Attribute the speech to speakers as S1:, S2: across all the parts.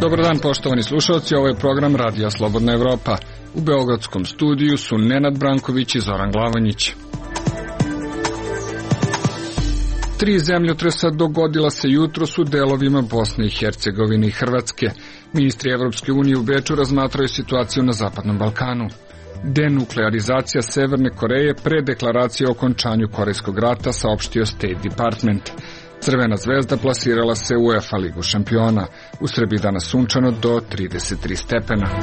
S1: Dobar dan, poštovani slušalci, ovo je program Radija Slobodna Evropa. U beogradskom studiju su Nenad Branković i Zoran Glavanjić. 3 zemljotresa dogodila se jutros u delovima Bosne i Hercegovine i Hrvatske. Ministri Evropske unije u Beču razmatraju situaciju na Zapadnom Balkanu. Denuklearizacija Severne Koreje pre deklaracije o okončanju Korejskog rata, saopštio State Department. Crvena zvezda plasirala se u UEFA ligu šampiona. U Srbiji danas sunčano do 33 stepena.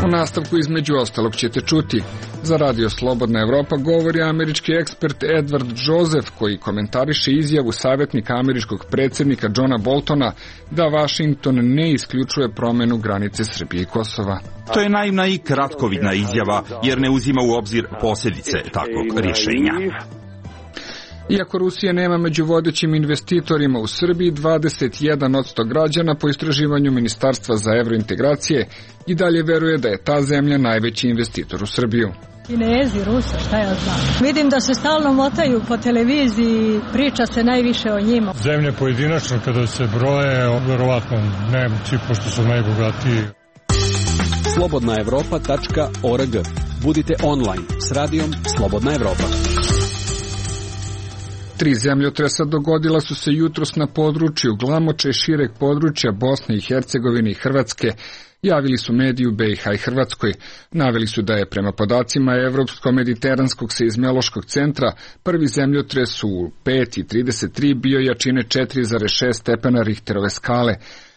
S1: U nastavku između ostalog ćete čuti. Za Radio Slobodna Evropa govori američki ekspert Edward Joseph, koji komentariše izjavu savjetnika američkog predsjednika Johna Boltona da Washington ne isključuje promjenu granice Srbije i Kosova.
S2: To je naivna i kratkovidna izjava jer ne uzima u obzir posljedice takvog rješenja.
S1: Iako Rusija nema među vodećim investitorima u Srbiji, 21% građana po istraživanju Ministarstva za evrointegracije i dalje veruje da je ta zemlja najveći investitor u Srbiju.
S3: Kinezi, Rusa, šta ja znam. Vidim da se stalno motaju po televiziji, priča se najviše o njima.
S4: Zemlje pojedinačno kada se broje, verovatno Nemci, pošto su najbogatiji.
S5: Slobodnaevropa.org. Budite online s radijom Slobodna Evropa.
S1: 3 zemljotresa dogodila su se jutros na području Glamoča i šireg područja Bosne i Hercegovine i Hrvatske, javili su mediji u BiH i Hrvatskoj. Naveli su da je prema podacima Evropsko-mediteranskog seizmološkog centra prvi zemljotres u 5,33 bio jačine 4,6 stepena Richterove skale,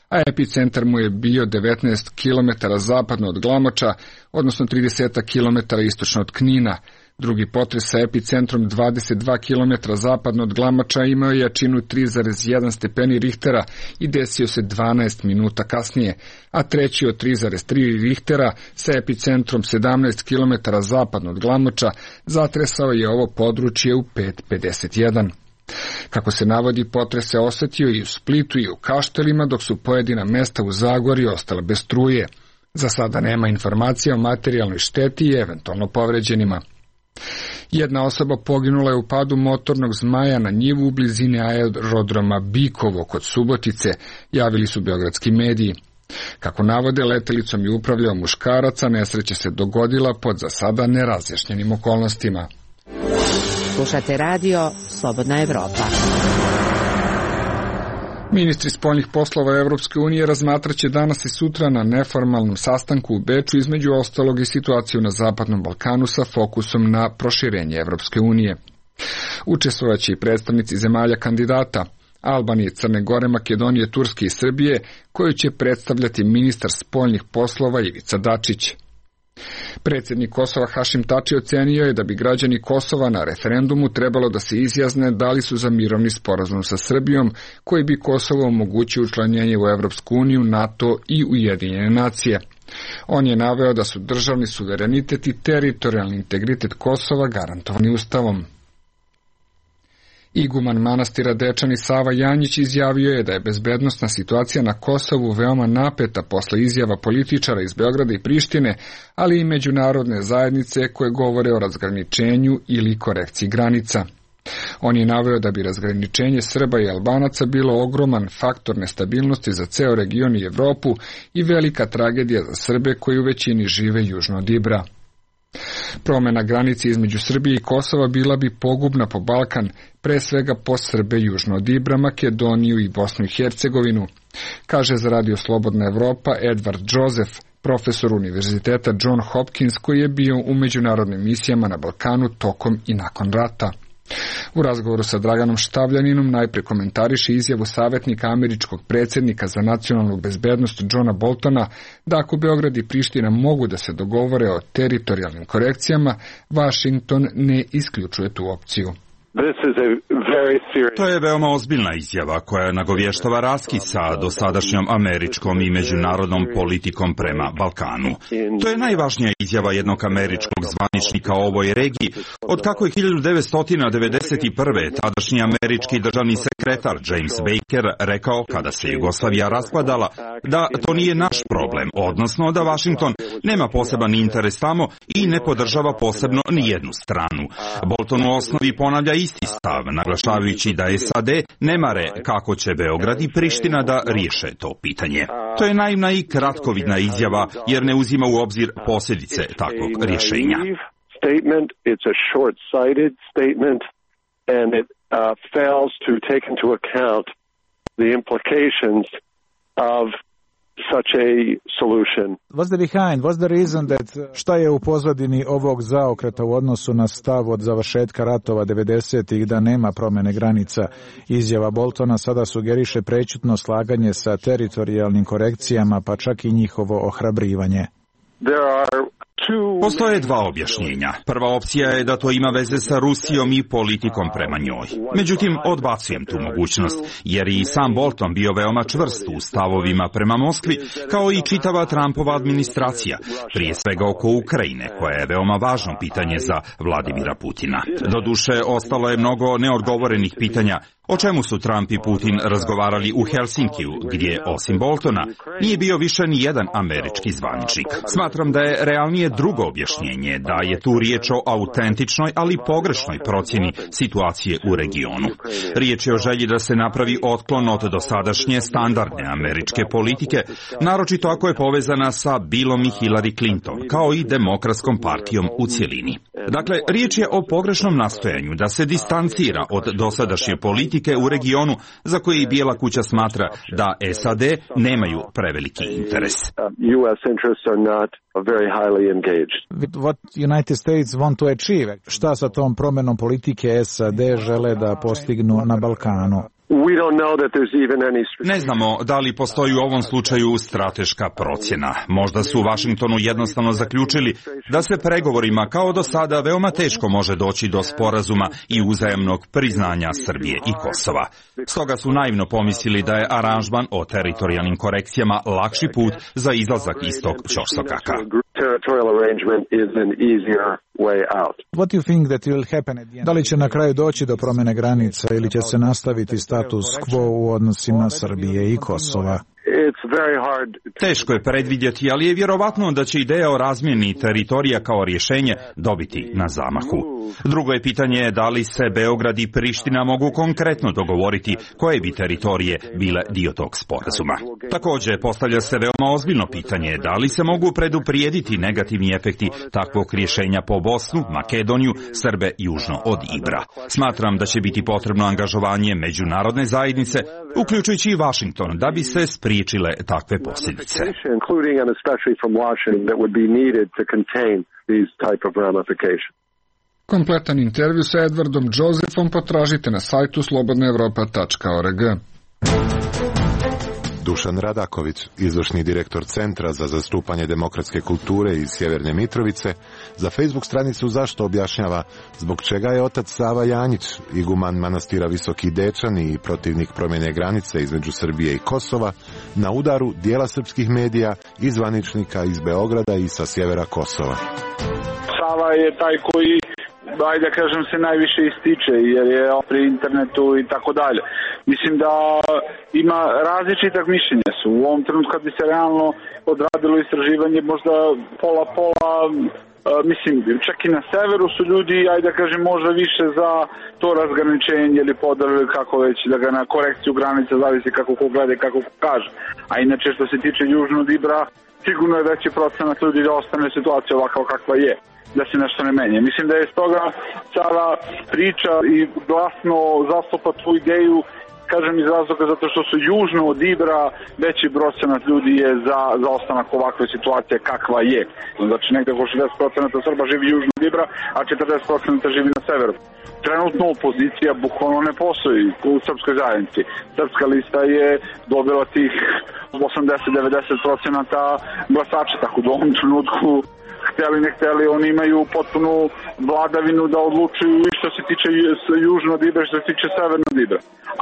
S1: a epicentar mu je bio 19 km zapadno od Glamoča, odnosno 30 km istočno od Knina. Drugi potres sa epicentrom 22 km zapadno od Glamoča imao je jačinu 3,1 stepeni Richtera i desio se 12 minuta kasnije, a treći od 3,3 Richtera sa epicentrom 17 km zapadno od Glamoča zatresao je ovo područje u 5:51. Kako se navodi, potres se osetio i u Splitu i u Kaštelima, dok su pojedina mesta u Zagorju ostala bez struje. Za sada nema informacija o materijalnoj šteti i eventualno povređenima. Jedna osoba poginula je u padu motornog zmaja na njivu u blizini aerodroma Bikovo kod Subotice, javili su beogradski mediji. Kako navode, letelicom je upravljao muškarac, a nesreća se dogodila pod za sada nerazjašnjenim okolnostima.
S6: Slušate radio Slobodna Evropa.
S1: Ministri spoljnih poslova Evropske unije razmatraće danas i sutra na neformalnom sastanku u Beču između ostalog i situaciju na Zapadnom Balkanu sa fokusom na proširenje Evropske unije. Učestvovaće i predstavnici zemalja kandidata Albanije, Crne Gore, Makedonije, Turske i Srbije, koju će predstavljati ministar spoljnih poslova Ivica Dačić. Predsjednik Kosova Hašim Tači ocenio je da bi građani Kosova na referendumu trebalo da se izjasne da li su za mirovni sporazum sa Srbijom, koji bi Kosovo omogućio učlanjenje u Evropsku uniju, NATO i Ujedinjene nacije. On je naveo da su državni suverenitet i teritorijalni integritet Kosova garantovani Ustavom. Iguman manastira Dečani Sava Janjić izjavio je da je bezbednosna situacija na Kosovu veoma napeta posle izjava političara iz Beograda i Prištine, ali i međunarodne zajednice koje govore o razgraničenju ili korekciji granica. On je naveo da bi razgraničenje Srba i Albanaca bilo ogroman faktor nestabilnosti za ceo region i Evropu i velika tragedija za Srbe koji u većini žive južno od Ibra. Promjena granice između Srbije i Kosova bila bi pogubna po Balkan, pre svega po Srbe južno od Ibra, Makedoniju i Bosnu i Hercegovinu, kaže za Radio Slobodna Evropa Edward Joseph, profesor Univerziteta John Hopkins koji je bio u međunarodnim misijama na Balkanu tokom i nakon rata. U razgovoru sa Draganom Štavljaninom najpre komentariše izjavu savjetnika američkog predsjednika za nacionalnu bezbednost Johna Boltona da ako Beograd i Priština mogu da se dogovore o teritorijalnim korekcijama, Washington ne isključuje tu opciju.
S2: To je veoma ozbiljna izjava koja nagovještava raskid sa dosadašnjom američkom i međunarodnom politikom prema Balkanu. To je najvažnija izjava jednog američkog zvaničnika o ovoj regiji, od kako je 1991. tadašnji američki državni sekretar James Baker rekao kada se Jugoslavija raspadala da to nije naš problem, odnosno da Washington nema poseban interes tamo i ne podržava posebno ni jednu stranu. Bolton u osnovi ponavlja isti stav, naglašavajući da SAD ne mare kako će Beograd i Priština da riješe to pitanje. To je naivna i kratkovidna izjava jer ne uzima u obzir posljedice takvog rješenja.
S7: It's a short-sighted statement and it fails to take into account the implications of such a solution.
S8: What's the reason that šta je u pozadini ovog zaokreta u odnosu na stav od završetka ratova 90-ih da nema promjene granica? Izjava Boltona sada sugeriše prećutno slaganje sa teritorijalnim korekcijama, pa čak i njihovo ohrabrivanje.
S2: Postoje dva objašnjenja. Prva opcija je da to ima veze sa Rusijom i politikom prema njoj. Međutim, odbacujem tu mogućnost, jer i sam Bolton bio veoma čvrst u stavovima prema Moskvi, kao i čitava Trumpova administracija, prije svega oko Ukrajine, koja je veoma važno pitanje za Vladimira Putina. Doduše, ostalo je mnogo neodgovorenih pitanja. O čemu su Trump i Putin razgovarali u Helsinkiju, gdje, osim Boltona, nije bio više ni jedan američki zvaničnik. Smatram da je realnije drugo objašnjenje, da je tu riječ o autentičnoj, ali pogrešnoj procjeni situacije u regionu. Riječ je o želji da se napravi otklon od dosadašnje standardne američke politike, naročito ako je povezana sa Billom i Hillary Clinton, kao i Demokratskom partijom u cjelini. Dakle, riječ je o pogrešnom nastojanju da se distancira od dosadašnje politike u regionu za koji Bijela kuća smatra da SAD nemaju preveliki interes.
S8: What United States want to achieve? Šta sa tom promjenom politike SAD žele da postignu na Balkanu?
S2: Ne znamo da li postoji u ovom slučaju strateška procjena. Možda su u Washingtonu jednostavno zaključili da se pregovorima kao do sada veoma teško može doći do sporazuma i uzajamnog priznanja Srbije i Kosova. Stoga su naivno pomislili da je aranžman o teritorijalnim korekcijama lakši put za izlazak iz tog ćorsokaka.
S8: What do you think that will happen at the end? Da li će na kraju doći do promjene granica ili će se nastaviti status quo u odnosima Srbije i Kosova?
S2: Teško je predvidjeti, ali je vjerovatno da će ideja o razmjeni teritorija kao rješenje dobiti na zamahu. Drugo je pitanje da li se Beograd i Priština mogu konkretno dogovoriti koje bi teritorije bile dio tog sporazuma. Također postavlja se veoma ozbiljno pitanje da li se mogu preduprijediti negativni efekti takvog rješenja po Bosnu, Makedoniju, Srbe južno od Ibra. Smatram da će biti potrebno angažovanje međunarodne zajednice, uključujući i Washington, da bi se spriječile takve posljedice.
S1: Kompletan intervju sa Edwardom Josephom potražite na sajtu slobodnaevropa.org.
S9: Dušan Radaković, izvršni direktor Centra za zastupanje demokratske kulture iz Sjeverne Mitrovice, za Facebook stranicu Zašto objašnjava zbog čega je otac Sava Janjić, iguman manastira Visoki Dečani i protivnik promjene granice između Srbije i Kosova, na udaru dijela srpskih medija i zvaničnika iz Beograda i sa sjevera Kosova.
S10: Sava je taj koji, ajde da kažem, se najviše ističe jer je pri internetu i tako dalje. Mislim da ima različitog mišljenja su. U ovom trenutku kad bi se realno odradilo istraživanje možda pola, mislim, čak i na severu su ljudi, ajde da kažem, možda više za to razgraničenje ili podelu kako već, da ga na korekciju granica zavisi kako ko gleda i kako ko kaže. A inače što se tiče južnog Ibra, sigurno je veći procenat ljudi da ostane situacija ovakva kakva je, da se nešto ne menje. Mislim da je stoga cijela priča i glasno zastupa tu ideju, kažem iz razloga zato što su južno od Ibra veći procenat ljudi je za ostanak ovakve situacije kakva je. Znači negdje oko 60% Srba živi južno od Ibra, a 40% živi na severu. Trenutno opozicija bukvalno ne postoji u srpskoj zajednici. Srpska lista je dobila tih 80-90% glasača, tako da u ovom trenutku htjeli ne htjeli, oni imaju potpunu vladavinu da odlučuju i što se tiče južnog Ibra, što se tiče severnog Ibra.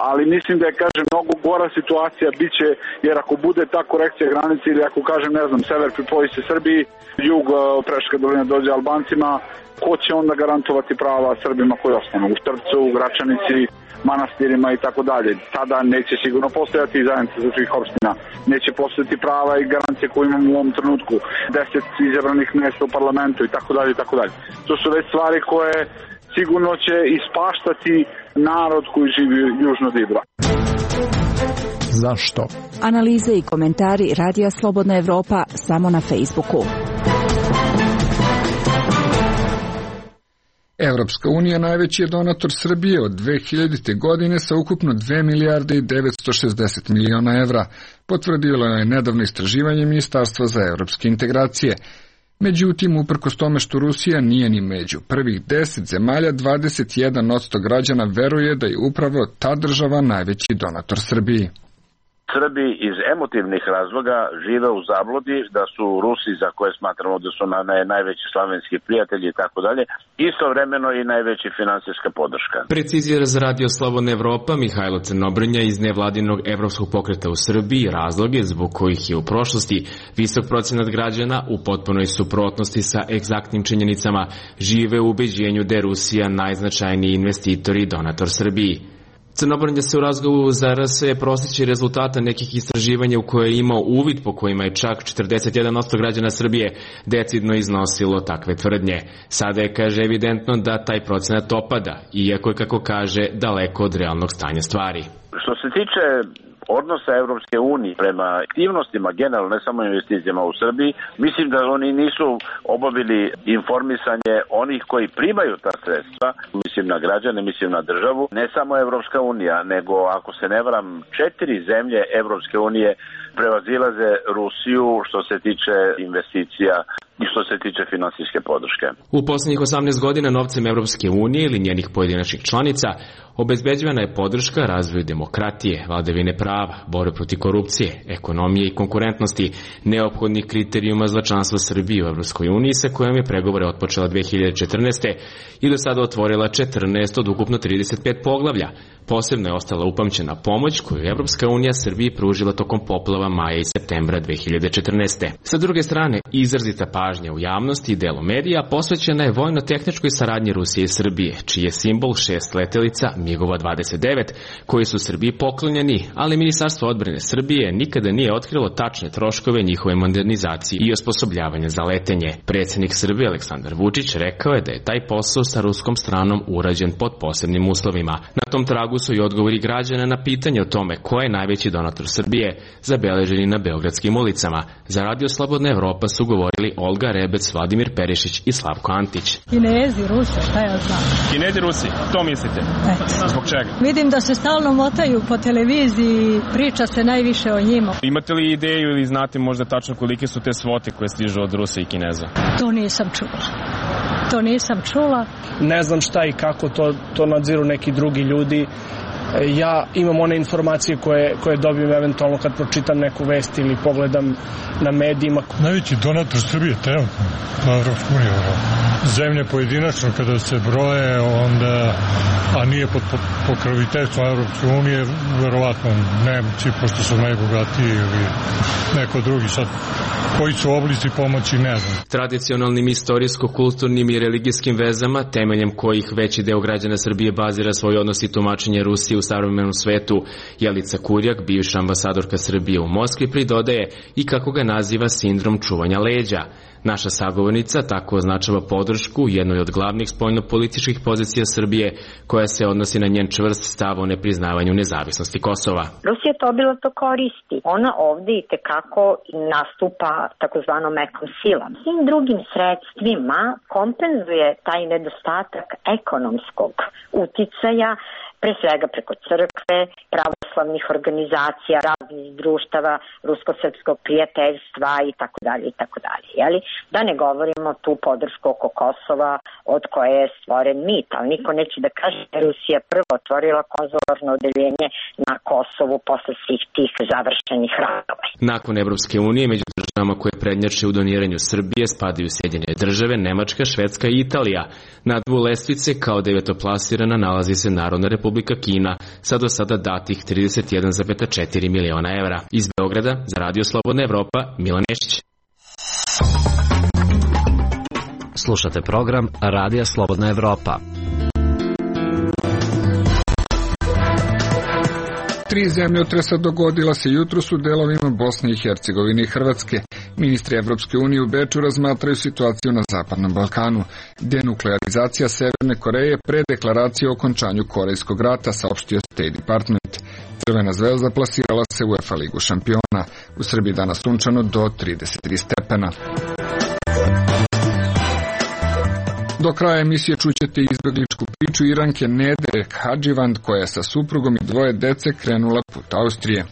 S10: Ali mislim da je, kažem, mnogo gora situacija biće, jer ako bude ta korekcija granice ili ako, kažem, ne znam, sever pripoji se Srbiji, jug Preška dolina dođe Albancima, ko će onda garantovati prava Srbima koji ostanu u Štrpcu, u Gračanici, manastirima i tako dalje. Tada neće sigurno postojati zajednica za svih opština. Neće postojati prava i garancije koje imamo u ovom trenutku. 10 izabranih mjesta u parlamentu i tako dalje i tako dalje. To su već stvari koje sigurno će ispaštati narod koji živi južno od Ibra.
S8: Zašto?
S11: Analize i komentari Radija Slobodna Evropa samo na Facebooku.
S1: Evropska unija najveći je donator Srbije od 2000. godine sa ukupno 2 milijarde i 960 miliona evra, potvrdilo je nedavno istraživanje Ministarstva za evropske integracije. Međutim, uprkos tome što Rusija nije ni među prvih 10 zemalja, 21% građana veruje da je upravo ta država najveći donator Srbiji.
S12: Srbi iz emotivnih razloga žive u zabludi da su Rusi, za koje smatramo da su najveći slavenski prijatelji i tako dalje, istovremeno i najveća finansijska podrška.
S13: Precizira za Radio Slobodna Evropa Mihajlo Crnobrnja iz nevladinog Evropskog pokreta u Srbiji razloge zbog kojih je u prošlosti visok procenat građana u potpunoj suprotnosti sa egzaktnim činjenicama žive u ubeđenju da je Rusija najznačajniji investitor i donator Srbiji. Crnobrnja se u razgovoru za RS prostići rezultata nekih istraživanja u koje je imao uvid po kojima je čak 41% građana Srbije decidno iznosilo takve tvrdnje. Sada je, kaže, evidentno da taj procenat opada, iako je, kako kaže, daleko od realnog stanja stvari.
S12: Što se tiče odnosa Evropske unije prema aktivnostima, generalno ne samo investicijama u Srbiji, mislim da oni nisu obavili informisanje onih koji primaju ta sredstva, mislim na građane, mislim na državu, ne samo Evropska unija, nego ako se ne varam 4 zemlje Evropske unije prevazilaze Rusiju što se tiče investicija i što se tiče finansijske podrške.
S13: U poslednjih 18 godina novcem Evropske unije ili njenih pojedinačnih članica obezbeđivana je podrška razvoju demokratije, vladavine prava, borbe protiv korupcije, ekonomije i konkurentnosti, neophodnih kriterijuma za članstvo Srbije u Evropskoj uniji sa kojom je pregovore otpočela 2014. i do sada otvorila 14 od ukupno 35 poglavlja. Posebno je ostala upamćena pomoć koju je Evropska unija Srbiji pružila tokom poplava maja i septembra 2014. Sa druge strane, izrazita pažnja u javnosti i delu medija posvećena je vojno-tehničkoj saradnji Rusije i Srbije, čiji je simbol 6 letelica MiG-ova 29, koji su Srbiji poklonjeni, ali Ministarstvo odbrane Srbije nikada nije otkrilo tačne troškove njihove modernizacije i osposobljavanja za letenje. Predsjednik Srbije Aleksandar Vučić rekao je da je taj posao sa ruskom stranom urađen pod posebnim uslovima. Na tom tragu su i odgovori građana na pitanje o tome ko je najveći donator Srbije zabeleženi na beogradskim ulicama. Za Radio Slobodna Evropa su govorili Olga Rebec, Vladimir Perišić i Slavko Antić.
S3: Kinezi, Rusi, šta ja znam?
S14: Kinezi, Rusi, to mislite? Zbog čega?
S3: Vidim da se stalno motaju po televiziji, priča se najviše o njima.
S14: Imate li ideju ili znate možda tačno kolike su te svote koje stižu od Rusa i Kineza?
S3: To nisam čula.
S15: Ne znam šta i kako to nadziru neki drugi ljudi. Ja imam one informacije koje dobijem eventualno kad pročitam neku vest ili pogledam na medijima.
S4: Najveći donator Srbije trenutno na Evropsku uniju. Zemlje pojedinačno kada se broje, onda, a nije pod pokroviteljstvom Evropske unije, verovatno Nemci, pošto su najbogatiji ili neko drugi. Sad, koji su oblici pomoći, ne znam.
S13: Tradicionalnim istorijsko-kulturnim i religijskim vezama, temeljem kojih veći deo građana Srbije bazira svoj odnos i tumačenje Rusije u savremenom svetu, Jelica Kurjak, bivša ambasadorka Srbije u Moskvi, pridodaje i kako ga naziva sindrom čuvanja leđa. Naša sagovornica tako označava podršku jednoj od glavnih spoljno-političkih pozicija Srbije, koja se odnosi na njen čvrst stav o nepriznavanju nezavisnosti Kosova.
S16: Rusija to obilato koristi. Ona ovde i tekako nastupa takozvanom mekom silom. Svim drugim sredstvima kompenzuje taj nedostatak ekonomskog uticaja, pre svega preko crkve, pravoslavnih organizacija, raznih društava, rusko-srpskog prijateljstva i tako dalje. Da ne govorimo tu podršku oko Kosova od koje je stvoren mit, ali niko neće da kaže da je Rusija prvo otvorila konzularno odeljenje na Kosovu posle svih tih završenih ratova.
S13: Nakon Evropske unije, među državama koje prednjače u doniranju Srbije spadaju Sjedinjene države, Nemačka, Švedska i Italija. Na dnu lestvice kao devetoplasirana nalazi se Narodna Republika Kina sa do sada datih 31,4 miliona evra. Iz Beograda za Radio Slobodna Evropa, Milan Nešić.
S17: Slušate program Radija Slobodna Evropa.
S1: 3 zemljotresa dogodila se jutros u delovima Bosne i Hercegovine i Hrvatske. Ministri Evropske unije u Beču razmatraju situaciju na Zapadnom Balkanu. Denuklearizacija Severne Koreje pre deklaracije o okončanju Korejskog rata, saopštio State Department. Crvena zvezda plasirala se u UEFA ligu šampiona. U Srbiji danas sunčano do 33 stepena. Do kraja emisije čućete izbegličku priču Iranke Nede Hadživand, koja je sa suprugom i 2 dece krenula put Austrije.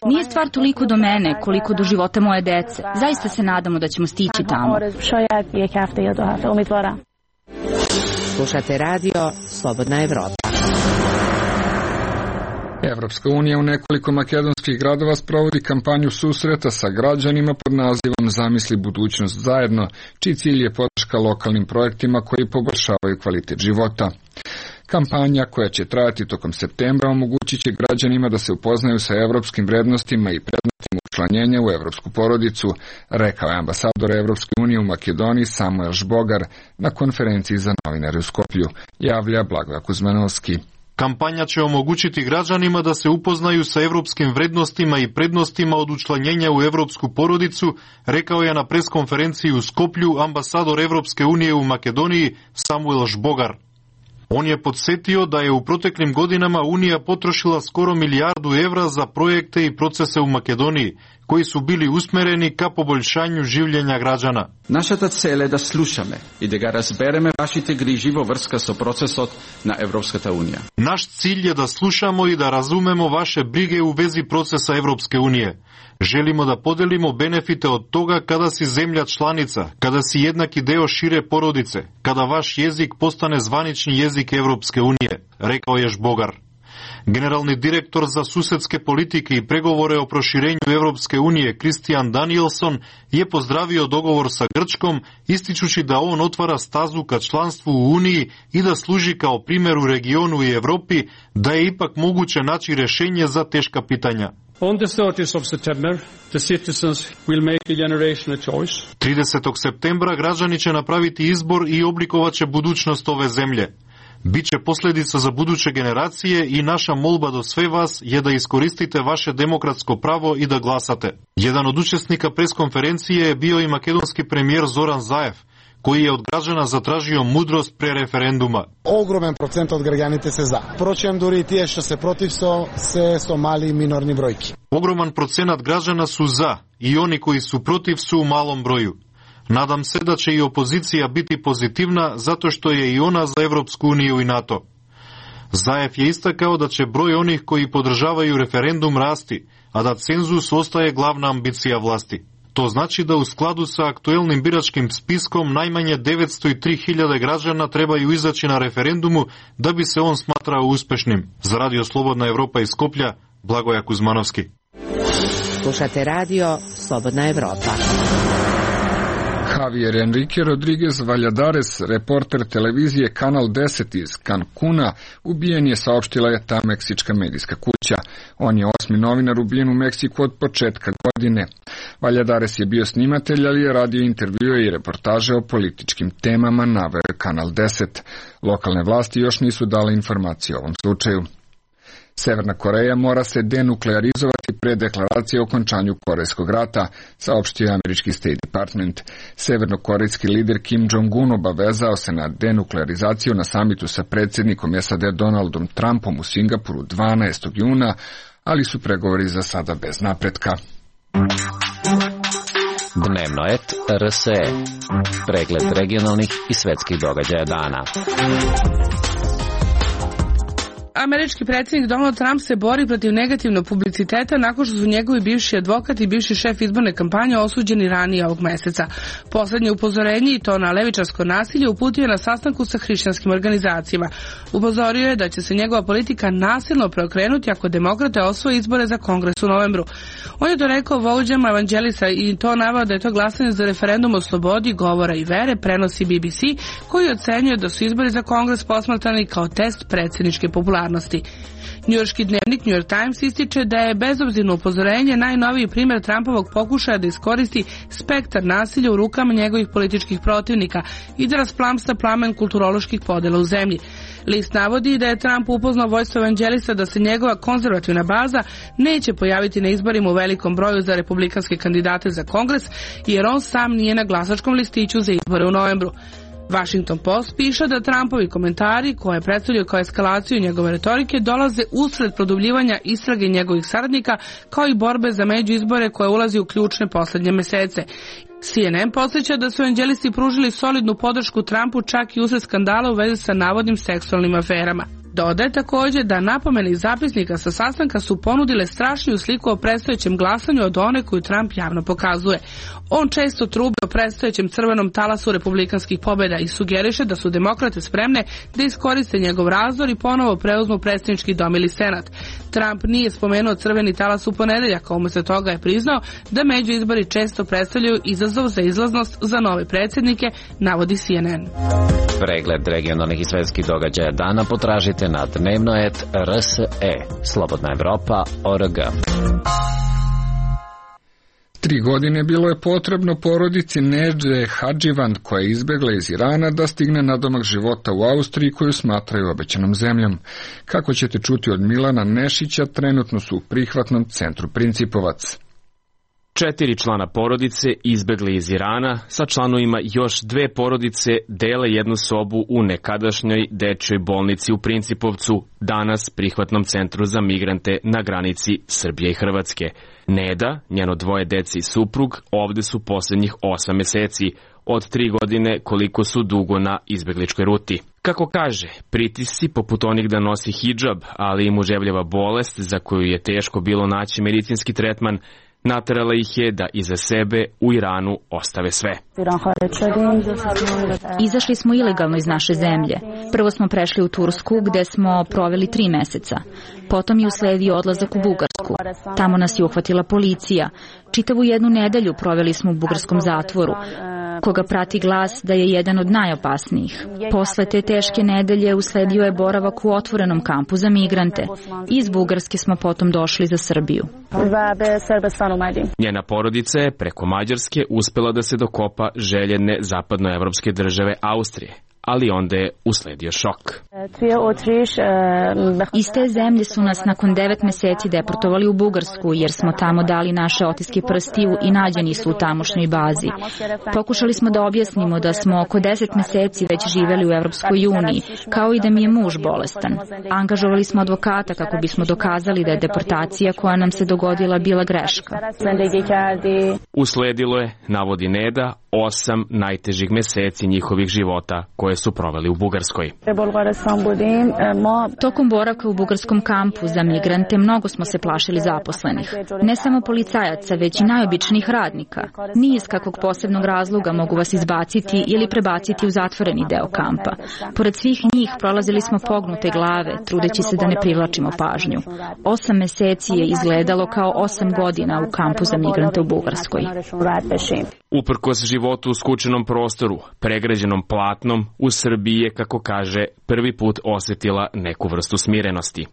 S18: Nije stvar toliko do mene, koliko do života moje dece. Zaista se nadamo da ćemo stići tamo.
S6: Slušate radio Slobodna Evropa.
S1: Evropska unija u nekoliko makedonskih gradova sprovodi kampanju susreta sa građanima pod nazivom Zamisli budućnost zajedno, čiji cilj je podrška lokalnim projektima koji poboljšavaju kvalitet života. Kampanja, koja će trajati tokom septembra, omogućit će građanima da se upoznaju sa evropskim vrednostima i prednostima učlanjenja u evropsku porodicu, rekao je ambasador Evropske unije u Makedoniji Samuel Žbogar na konferenciji za novinare u Skoplju, javlja Blagoje Kuzmanovski.
S19: Kampanja će omogućiti građanima da se upoznaju sa evropskim vrednostima i prednostima od učlanjenja u evropsku porodicu, rekao je na preskonferenciji u Skoplju ambasador Evropske unije u Makedoniji Samuel Žbogar. On je podsjetio da je u proteklim godinama Unija potrošila skoro €1 milijardu za projekte i procese u Makedoniji, koji su bili usmereni ka poboljšanju življenja građana.
S20: Našата цел е да слушаме и да га разбереме вашите грижи во врска со процесот на Европската унија.
S19: Наш cilj je da slušamo i da razumemo vaše brige u vezi procesa Evropske unije. Želimo da podelimo benefite od toga kada si zemlja članica, kada si jednaki deo šire porodice, kada vaš jezik postane zvanični jezik Evropske unije, rekao je Žbogar. Generalni direktor za susedske politike i pregovore o proširenju Evropske unije Christian Danielson je pozdravio dogovor sa Grčkom, ističući da on otvara stazu ka članstvu u Uniji i da služi kao primjer u regionu i Evropi, da je ipak moguće naći rješenje za teška pitanja.
S21: On the 30th of September, the citizens will make a generational choice.
S19: 30. septembra građani će napraviti izbor i oblikovaće budućnost ove zemlje. Biće posljedica za buduće generacije i naša molba do sve vas je da iskoristite vaše demokratsko pravo i da glasate. Jedan od učesnika preskonferencije je bio i makedonski premijer Zoran Zaev, koji je od građana zatražio mudrost pre referenduma.
S22: Огромен процент од граѓаните се за. Впрочем, дури и тие што се против се со мали минорни бројки.
S19: Ogroman procenat građana su za i oni koji su protiv su u malom broju. Nadam se da će i opozicija biti pozitivna zato što je i ona za Evropsku uniju i NATO. Zaev je istakao da će broj onih koji podržavaju referendum rasti, a da cenzus ostaje glavna ambicija vlasti. To znači da u skladu sa aktuelnim biračkim spiskom najmanje 903.000 građana trebaju izaći na referendumu da bi se on smatrao uspešnim. Za Radio Slobodna Evropa iz Skoplja, Blagoje Kuzmanovski.
S6: Slušate radio Slobodna Evropa.
S1: Javier Enrique Rodriguez Valladares, reporter televizije Kanal 10 iz Cancuna, ubijen je, saopštila je ta meksička medijska kuća. On je 8. novinar ubijen u Meksiku od početka godine. Valladares je bio snimatelj, ali je radio intervjue i reportaže o političkim temama, naveo je Kanal 10. Lokalne vlasti još nisu dale informacije o ovom slučaju. Severna Koreja mora se denuklearizovati pre deklaracije o okončanju Korejskog rata, saopštio je američki State Department. Severnokorejski lider Kim Jong-un obavezao se na denuklearizaciju na samitu sa predsjednikom SAD Donaldom Trumpom u Singapuru 12. juna, ali su pregovori za sada bez napretka.
S17: Dnevno et RSE. Pregled regionalnih i svetskih događaja dana.
S23: Američki predsjednik Donald Trump se bori protiv negativnog publiciteta nakon što su njegovi bivši advokat i bivši šef izborne kampanje osuđeni ranije ovog meseca. Poslednje upozorenje, i to na levičarsko nasilje, uputio je na sastanku sa hrišćanskim organizacijama. Upozorio je da će se njegova politika nasilno preokrenuti ako demokrate osvoje izbore za Kongres u novembru. On je to rekao vođama evanđelisa i to naveo da je to glasanje za referendum o slobodi govora i vere, prenosi BBC, koji ocenjuje da su izbori za Kongres posmatrani kao test predsjedničke populacije. stvarnosti. Njujorški dnevnik New York Times ističe da je bezobzirno upozorenje najnoviji primjer Trumpovog pokušaja da iskoristi spektar nasilja u rukama njegovih političkih protivnika i da rasplamsa plamen kulturoloških podela u zemlji. List navodi da je Trump upoznao vođstvo evanđelista da se njegova konzervativna baza neće pojaviti na izborima u velikom broju za republikanske kandidate za Kongres, jer on sam nije na glasačkom listiću za izbore u novembru. Washington Post piše da Trumpovi komentari, koje predstavljaju kao eskalaciju njegove retorike, dolaze usred produbljivanja istrage njegovih saradnika, kao i borbe za međuizbore koje ulazi u ključne poslednje mesece. CNN podsjeća da su evanđelisti pružili solidnu podršku Trumpu čak i usred skandala u vezi sa navodnim seksualnim aferama. Dodaje također da napomene iz zapisnika sa sastanka su ponudile strašniju sliku o predstojećem glasanju od one koju Trump javno pokazuje. On često trubi o predstojećem crvenom talasu republikanskih pobjeda i sugeriše da su demokrate spremne da iskoriste njegov razdor i ponovo preuzmu predsjednički dom ili senat. Trump nije spomenuo crveni talas u ponedeljak, a umjesto toga je priznao da međuizbori često predstavljaju izazov za izlaznost za nove predsjednike, navodi CNN.
S17: Pregled regionalnih i svetskih događaja dana potražite na dnevno.rse, Slobodna Evropa.org.
S1: 3 godine bilo je potrebno porodici Nedže Hadživan, koja je izbjegla iz Irana, da stigne na domak života u Austriji, koju smatraju obećanom zemljom. Kako ćete čuti od Milana Nešića, trenutno su u prihvatnom centru Principovac.
S13: 4 člana porodice izbegli iz Irana, sa članovima još 2 porodice dele jednu sobu u nekadašnjoj dečjoj bolnici u Principovcu, danas prihvatnom centru za migrante na granici Srbije i Hrvatske. Neda, njeno 2 dece i suprug, ovde su posljednjih 8 meseci, od 3 godine koliko su dugo na izbegličkoj ruti. Kako kaže, pritisci poput onih da nosi hidžab, ali i muževljava bolest za koju je teško bilo naći medicinski tretman, naterala ih je da iza sebe u Iranu ostave sve.
S18: Izašli smo ilegalno iz naše zemlje. Prvo smo prešli u Tursku, gde smo proveli 3 meseca. Potom je usledio odlazak u Bugarsku. Tamo nas je uhvatila policija. Čitavu 1 nedelju proveli smo u bugarskom zatvoru, koga prati glas da je jedan od najopasnijih. Posle te teške nedelje usledio je boravak u otvorenom kampu za migrante. Iz Bugarske smo potom došli za Srbiju.
S13: Njena porodica je preko Mađarske uspela da se dokopa željene zapadnoevropske države Austrije, ali onda je usledio šok.
S18: Iz te zemlje su nas nakon 9 meseci deportovali u Bugarsku, jer smo tamo dali naše otiske prstiju i nađeni su u tamošnjoj bazi. Pokušali smo da objasnimo da smo oko 10 meseci već živeli u Evropskoj uniji, kao i da mi je muž bolestan. Angažovali smo advokata kako bismo dokazali da je deportacija koja nam se dogodila bila greška.
S13: Usledilo je, navodi Neda, 8 najtežih meseci njihovih života koje su proveli u Bugarskoj.
S18: Tokom boravka u bugarskom kampu za migrante mnogo smo se plašili zaposlenih. Ne samo policajaca, već i najobičnijih radnika. Ni iz kakvog posebnog razloga mogu vas izbaciti ili prebaciti u zatvoreni deo kampa. Pored svih njih prolazili smo pognute glave, trudeći se da ne privlačimo pažnju. 8 meseci je izgledalo kao 8 godina u kampu za migrante u Bugarskoj.
S13: Uprkos životu u skučenom prostoru, pregrađenom platnom, u Srbiji je, kako kaže, prvi put osjetila neku vrstu smirenosti.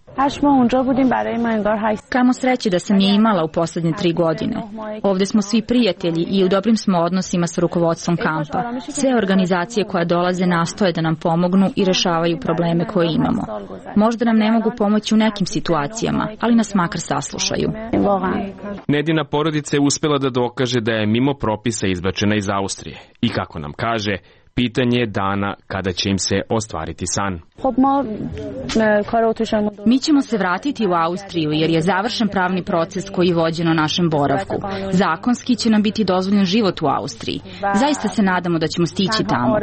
S18: Kamo sreće da sam je imala u posljednje 3 godine. Ovde smo svi prijatelji i u dobrim smo odnosima sa rukovodstvom kampa. Sve organizacije koje dolaze nastoje da nam pomognu i rešavaju probleme koje imamo. Možda nam ne mogu pomoći u nekim situacijama, ali nas makar saslušaju.
S13: Nedina porodica je uspela da dokaže da je mimo propisa izbačena iz Austrije i, kako nam kaže, pitanje je dana kada će im se ostvariti san.
S18: Mi ćemo se vratiti u Austriju jer je završen pravni proces koji je vođen o našem boravku. Zakonski će nam biti dozvoljen život u Austriji. Zaista se nadamo da ćemo stići tamo.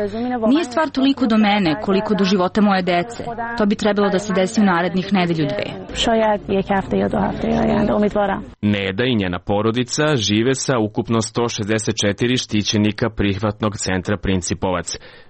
S18: Nije stvar toliko do mene koliko do života moje dece. To bi trebalo da se desi u narednih nedelju 2.
S13: Neda i njena porodica žive sa ukupno 164 štićenika prihvatnog centra Principovac.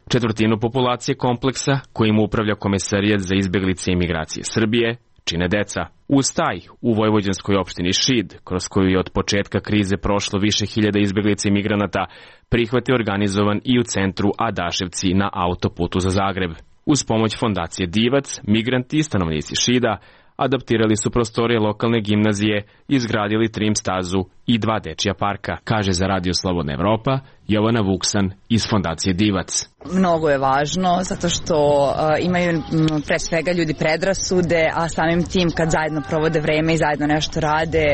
S13: Četvrtinu populacije kompleksa, kojim upravlja Komesarijat za izbjeglice i migracije Srbije, čine deca. U Staj, u vojvođanskoj opštini Šid, kroz koju je od početka krize prošlo više hiljada izbjeglica i migranata, prihvat je organizovan i u centru Adaševci na autoputu za Zagreb. Uz pomoć fondacije Divac, migranti i stanovnici Šida adaptirali su prostorije lokalne gimnazije, izgradili trim stazu i 2 dečija parka, kaže za Radio Slobodna Evropa Jovana Vuksan iz fondacije Divac.
S2: Mnogo je važno zato što imaju pre svega ljudi predrasude, a samim tim kad zajedno provode vreme i zajedno nešto rade,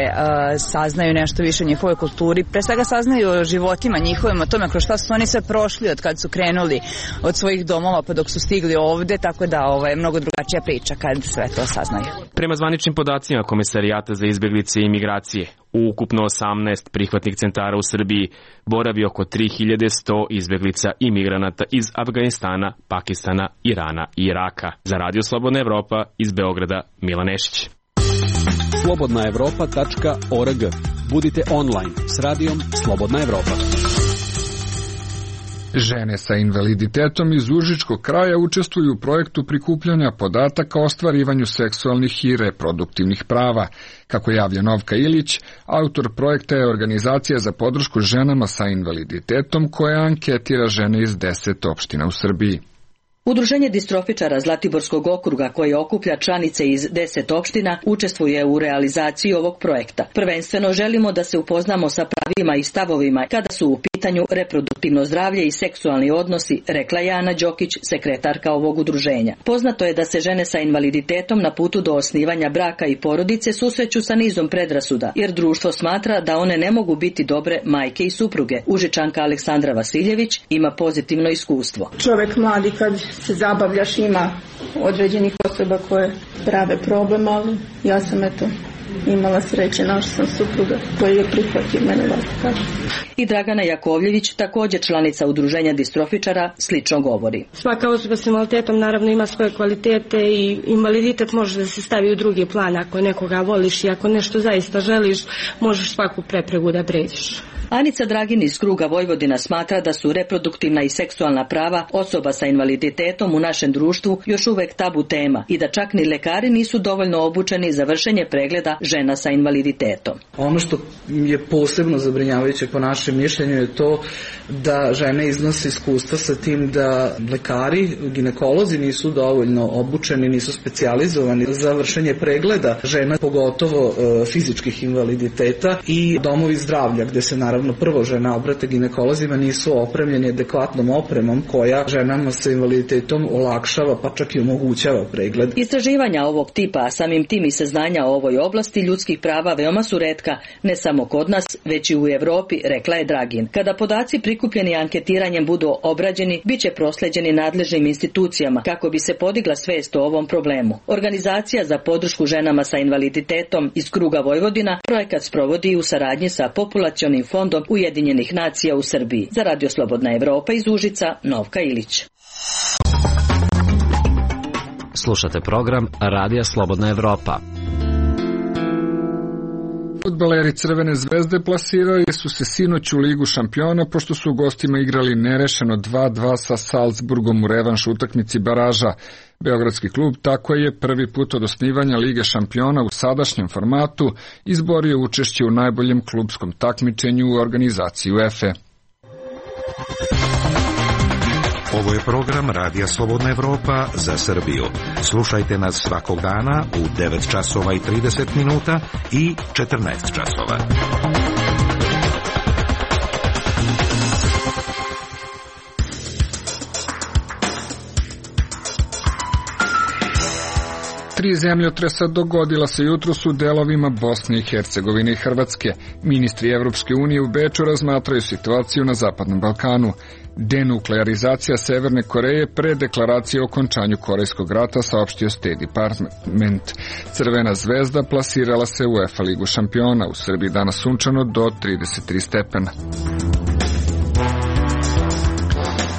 S2: saznaju nešto više o njihovoj kulturi, pre svega saznaju o životima njihovim, o tome kroz šta su oni sve prošli od kad su krenuli od svojih domova pa dok su stigli ovde, tako da je mnogo drugačija priča kad sve to saznaju.
S13: Prema zvaničnim podacima Komesarijata za izbeglice i migracije, u ukupno 18 prihvatnih centara u Srbiji boravi oko 3100 izbeglica i migranata iz Afganistana, Pakistana, Irana i Iraka. Za Radio Slobodna Evropa iz Beograda, Milan Nešić.
S5: slobodnaevropa.org. Budite online s radijom Slobodna Evropa.
S1: Žene sa invaliditetom iz Užičkog kraja učestvuju u projektu prikupljanja podataka o ostvarivanju seksualnih i reproduktivnih prava. Kako javlja Novka Ilić, autor projekta je organizacija za podršku ženama sa invaliditetom koja anketira žene iz 10 opština u Srbiji.
S7: Udruženje distrofičara Zlatiborskog okruga, koje okuplja članice iz 10 opština, učestvuje u realizaciji ovog projekta. Prvenstveno želimo da se upoznamo sa pravima i stavovima kada su u pitanju reproduktivno zdravlje i seksualni odnosi, rekla je Ana Đokić, sekretarka ovog udruženja. Poznato je da se žene sa invaliditetom na putu do osnivanja braka i porodice susreću sa nizom predrasuda, jer društvo smatra da one ne mogu biti dobre majke i supruge. Užičanka Aleksandra Vasiljević ima pozitivno iskustvo.
S24: Čovek mladi kad se zabavljaš, ima određenih osoba koje prave problem, ali ja sam imala sreće, našla sam supruga koji je prihvatio mene ovako.
S7: I Dragana Jakovljević, također članica udruženja distrofičara, slično govori.
S24: Svaka osoba s invaliditetom naravno ima svoje kvalitete i invaliditet može da se stavi u drugi plan. Ako nekoga voliš i ako nešto zaista želiš, možeš svaku prepregu da pređeš.
S7: Anica Dragin iz kruga Vojvodina smatra da su reproduktivna i seksualna prava osoba sa invaliditetom u našem društvu još uvek tabu tema i da čak ni lekari nisu dovoljno obučeni za vršenje pregleda žena sa invaliditetom.
S25: Ono što je posebno zabrinjavajuće po našem mišljenju je to da žene iznose iskustva sa tim da lekari, ginekolozi nisu dovoljno obučeni, nisu specijalizovani za vršenje pregleda žena, pogotovo fizičkih invaliditeta, i domovi zdravlja gde se naravno prvo žena obrate ginekolozima nisu opremljeni adekvatnom opremom koja ženama sa invaliditetom olakšava pa čak i omogućava pregled.
S7: Istraživanja ovog tipa, a samim tim i saznanja o ovoj oblasti ljudskih prava veoma su retka, ne samo kod nas, već i u Evropi, rekla je Dragin. Kada podaci prikupljeni anketiranjem budu obrađeni, bit će prosleđeni nadležnim institucijama kako bi se podigla svest o ovom problemu. Organizacija za podršku ženama sa invaliditetom iz kruga Vojvodina projekat sprovodi u saradnji sa Populacionim fondom Ujedinjenih nacija u Srbiji. Za Radio Slobodna Evropa iz Užica, Novka Ilić.
S17: Slušate program Radija Slobodna Evropa.
S1: Fudbaleri Crvene zvezde plasirali su se sinoć u Ligu šampiona pošto su u gostima igrali nerešeno 2-2 sa Salzburgom u revanš utakmici baraža. Beogradski klub tako je prvi put od osnivanja Lige šampiona u sadašnjem formatu izborio učešće u najboljem klubskom takmičenju u organizaciji UEFA.
S26: Ovo je program Radija Slobodna Evropa za Srbiju. Slušajte nas svakog dana u 9 časova i 30 minuta i 14 časova.
S1: Tri zemljotresa dogodila se jutros u delovima Bosne i Hercegovine i Hrvatske. Ministri Evropske unije u Beču razmatraju situaciju na Zapadnom Balkanu. Denuklearizacija Severne Koreje pre deklaracije o okončanju Korejskog rata, saopštio State Department. Crvena zvezda plasirala se u UEFA Ligu šampiona. U Srbiji danas sunčano do 33 stepena.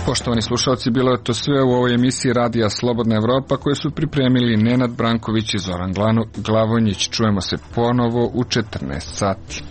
S1: Poštovani slušalci, bilo je to sve u ovoj emisiji Radija Slobodna Evropa koje su pripremili Nenad Branković i Zoran Glavonjić. Čujemo se ponovo u 14 sati.